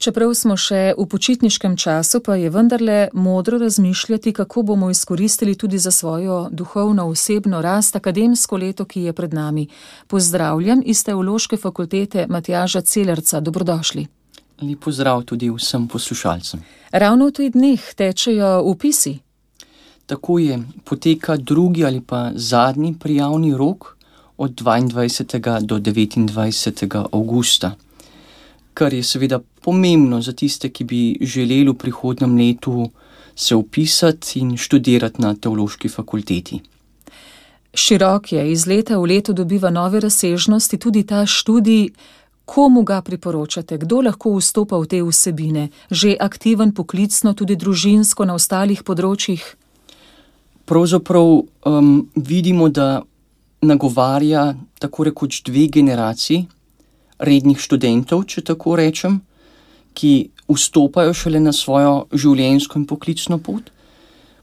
Čeprav smo še v počitniškem času, pa je vendarle modro razmišljati, kako bomo izkoristili tudi za svojo duhovno osebno rast akademsko leto, ki je pred nami. Pozdravljam iz Teološke fakultete Matjaža Celerca. Dobrodošli. Lep pozdrav tudi vsem poslušalcem. Ravno v teh dneh tečejo vpisi. Tako je, poteka drugi ali pa zadnji prijavni rok od 22. do 29. avgusta, kar je seveda pomembno za tiste, ki bi želeli v prihodnjem letu se vpisati in študirati na Teološki fakulteti. Širok je, iz leta v leto dobiva nove razsežnosti tudi ta študij. Komu ga priporočate? Kdo lahko vstopa v te vsebine? Že aktiven poklicno, tudi družinsko na ostalih področjih? Pravzaprav vidimo, da nagovarja tako rekoč dve generaciji rednih študentov, če tako rečem, ki vstopajo šele na svojo življenjsko in poklicno pot.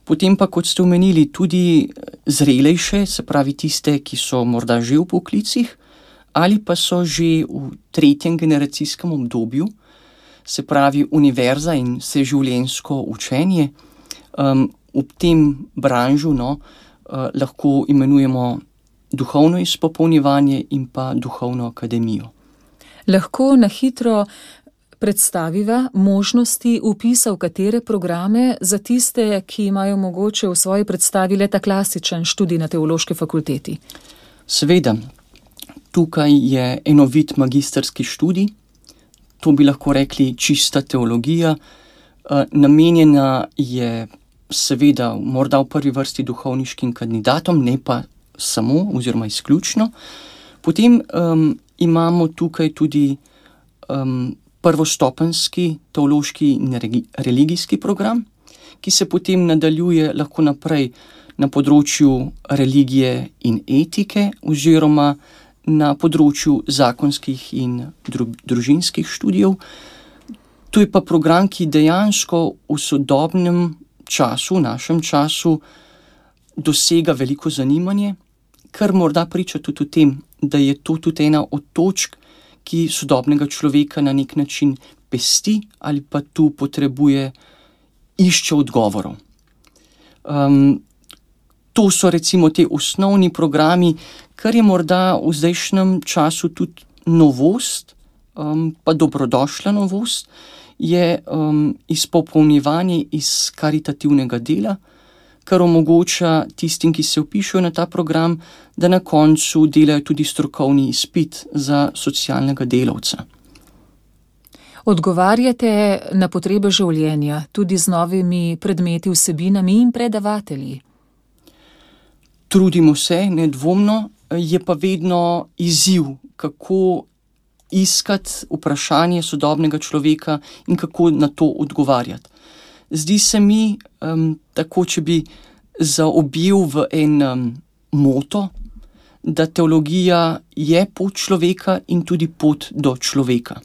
Potem pa, kot ste omenili, tudi zrelejše, se pravi tiste, ki so morda že v poklicih ali pa so že v tretjem generacijskem obdobju, se pravi univerza in vseživljenjsko učenje. V tem branžu lahko imenujemo duhovno izpopolnjevanje in pa duhovno akademijo. Lahko na hitro predstaviva možnosti vpisa v katere programe za tiste, ki imajo mogoče v svoji predstavi le ta klasičen študij na Teološki fakulteti? Seveda, tukaj je enovit magistrski študij, to bi lahko rekli čista teologija, namenjena je seveda morda v prvi vrsti duhovniškim kandidatom, ne pa samo oziroma izključno. Potem imamo tukaj tudi prvostopenjski teološki in religijski program, ki se potem nadaljuje lahko naprej na področju religije in etike oziroma na področju zakonskih in družinskih študijev. To je pa program, ki dejansko v sodobnem času, v našem času, dosega veliko zanimanje, kar morda priča tudi o tem, da je to tudi ena od točk, ki sodobnega človeka na nek način pesti ali pa tu išče odgovorov. To so recimo te osnovni programi, kar je morda v zdajšnjem času tudi novost, pa dobrodošla novost, je izpopolnjevanje iz karitativnega dela, kar omogoča tistim, ki se vpišejo na ta program, da na koncu delajo tudi strokovni izpit za socialnega delavca. Odgovarjate na potrebe življenja, tudi z novimi predmeti, vsebinami in predavatelji. Trudimo se, nedvomno, je pa vedno izziv, kako iskati vprašanje sodobnega človeka in kako na to odgovarjati. Zdi se mi, tako če bi zaobjel v en moto, da teologija je pot človeka in tudi pot do človeka.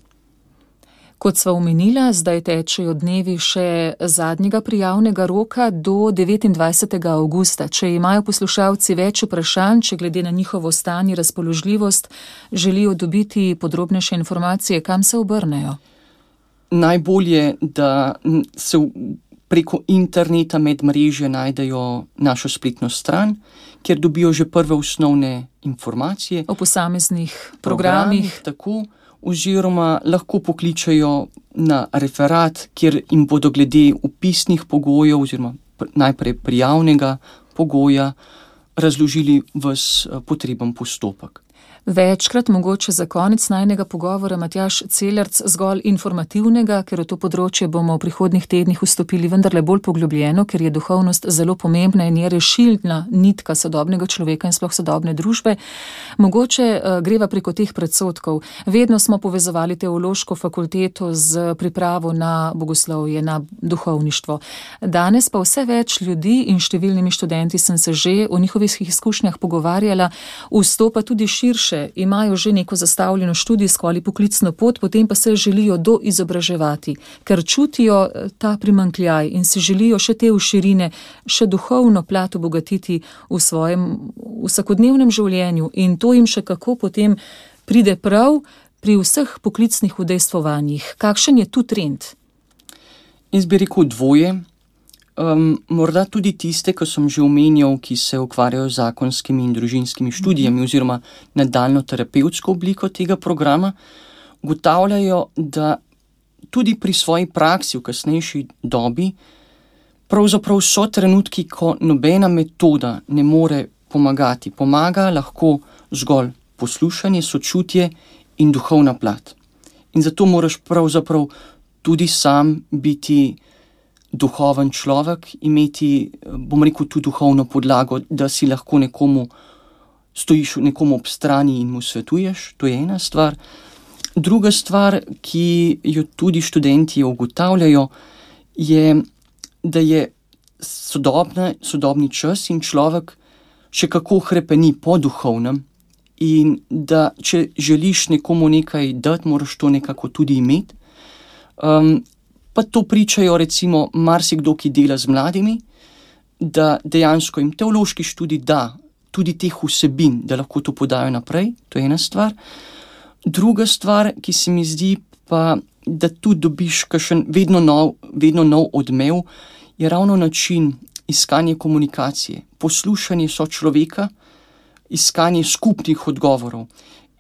Kot sva omenila, zdaj tečejo dnevi še zadnjega prijavnega roka do 29. avgusta. Če imajo poslušalci več vprašanj, če glede na njihovo stanje, razpoložljivost želijo dobiti podrobnejše informacije, kam se obrnejo? Najbolje, da se preko interneta medmrežja najdejo našo spletno stran, kjer dobijo že prve osnovne informacije. O posameznih programih. Tako, oziroma lahko pokličejo na referat, kjer jim bodo glede vpisnih pogojev oziroma najprej prijavnega pogoja razložili ves potreben postopek. Večkrat, mogoče za konec najnega pogovora, Matjaž Celerc, zgolj informativnega, ker v to področje bomo v prihodnjih tednih vstopili vendarle bolj poglobljeno, ker je duhovnost zelo pomembna in je rešilna nitka sodobnega človeka in sploh sodobne družbe. Mogoče greva preko teh predsodkov. Vedno smo povezovali Teološko fakulteto z pripravo na bogoslovje, na duhovništvo. Danes pa vse več ljudi in številnimi študenti sem se že o njihovih izkušnjah pogovarjala, vstopa tudi širše, imajo že neko zastavljeno študijsko ali poklicno pot, potem pa se želijo doizobraževati, ker čutijo ta primanjkljaj in si želijo še te širine, še duhovno plat obogatiti v svojem vsakodnevnem življenju in to jim še kako potem pride prav pri vseh poklicnih udejstvovanjih. Kakšen je tu trend? Jaz bi rekel dvoje. Morda tudi tiste, ki sem že omenjal, ki se ukvarjajo z zakonskimi in družinskimi študijami oziroma nadaljnjo terapevtsko obliko tega programa, ugotavljajo, da tudi pri svoji praksi v kasnejši dobi pravzaprav so trenutki, ko nobena metoda ne more pomagati. Pomaga lahko zgolj poslušanje, sočutje in duhovna plat. In zato moraš pravzaprav tudi sam biti duhoven človek, imeti, bom rekel, tu duhovno podlago, da si lahko stojiš nekomu ob strani in mu svetuješ, to je ena stvar. Druga stvar, ki jo tudi študenti ugotavljajo, je, da je sodobni čas in človek še kako hrepeni po duhovnem in da če želiš nekomu nekaj dati, moraš to nekako tudi imeti. Pa to pričajo recimo marsikdo, ki dela z mladimi, da dejansko jim teološki študij da tudi teh vsebin, da lahko to podajo naprej, to je ena stvar. Druga stvar, ki se mi zdi pa, da tu dobiš kakšen vedno nov odmev, je ravno način iskanja komunikacije, poslušanje sočloveka, iskanje skupnih odgovorov.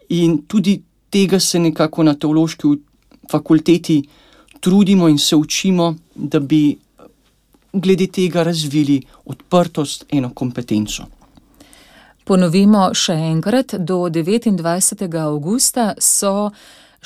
In tudi tega se nekako na teološki fakulteti trudimo in se učimo, da bi glede tega razvili odprtost, eno kompetenco. Ponovimo še enkrat, do 29. avgusta so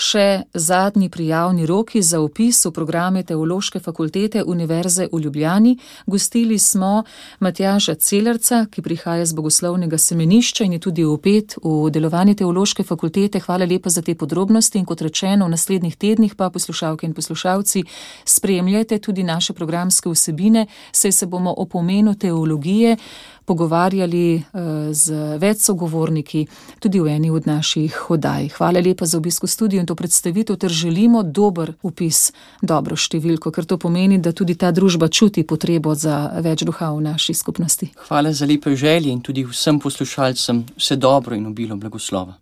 še zadnji prijavni roki za vpis v programe Teološke fakultete Univerze v Ljubljani. Gostili smo Matjaža Celerca, ki prihaja z Bogoslovnega semenišča in je tudi vpet v delovanje Teološke fakultete. Hvala lepa za te podrobnosti in kot rečeno, v naslednjih tednih pa poslušalke in poslušalci spremljajte tudi naše programske vsebine, saj se bomo o pomenu teologije pogovarjali z več sogovorniki tudi v eni od naših oddaj. Hvala lepa za obisk v studiu in to predstavitev ter želimo dober vpis, dobro številko, ker to pomeni, da tudi ta družba čuti potrebo za več duha v naši skupnosti. Hvala za lepe želje in tudi vsem poslušalcem vse dobro in obilo blagoslova.